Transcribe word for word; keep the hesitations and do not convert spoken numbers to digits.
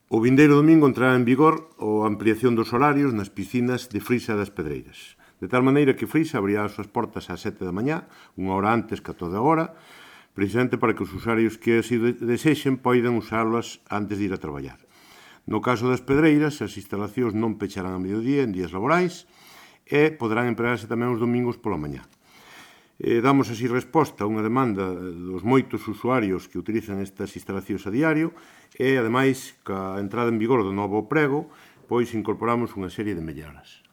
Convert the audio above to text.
O vindeiro domingo entrará en vigor a ampliación dos horarios nas piscinas de Frisa das Pedreiras. De tal maneira que Frisa abrirá as súas portas ás sete da mañá, unha hora antes que a toda hora, precisamente para que os usuarios que así desexen poidan usalas antes de ir a traballar. No caso das pedreiras, as instalacións non pecharán a mediodía en días laborais e poderán empregarse tamén os domingos pola mañá. Eh, damos así resposta a unha demanda dos moitos usuarios que utilizan estas instalacións a diario e, ademais, ca entrada en vigor do novo prego, pois incorporamos unha serie de melloras.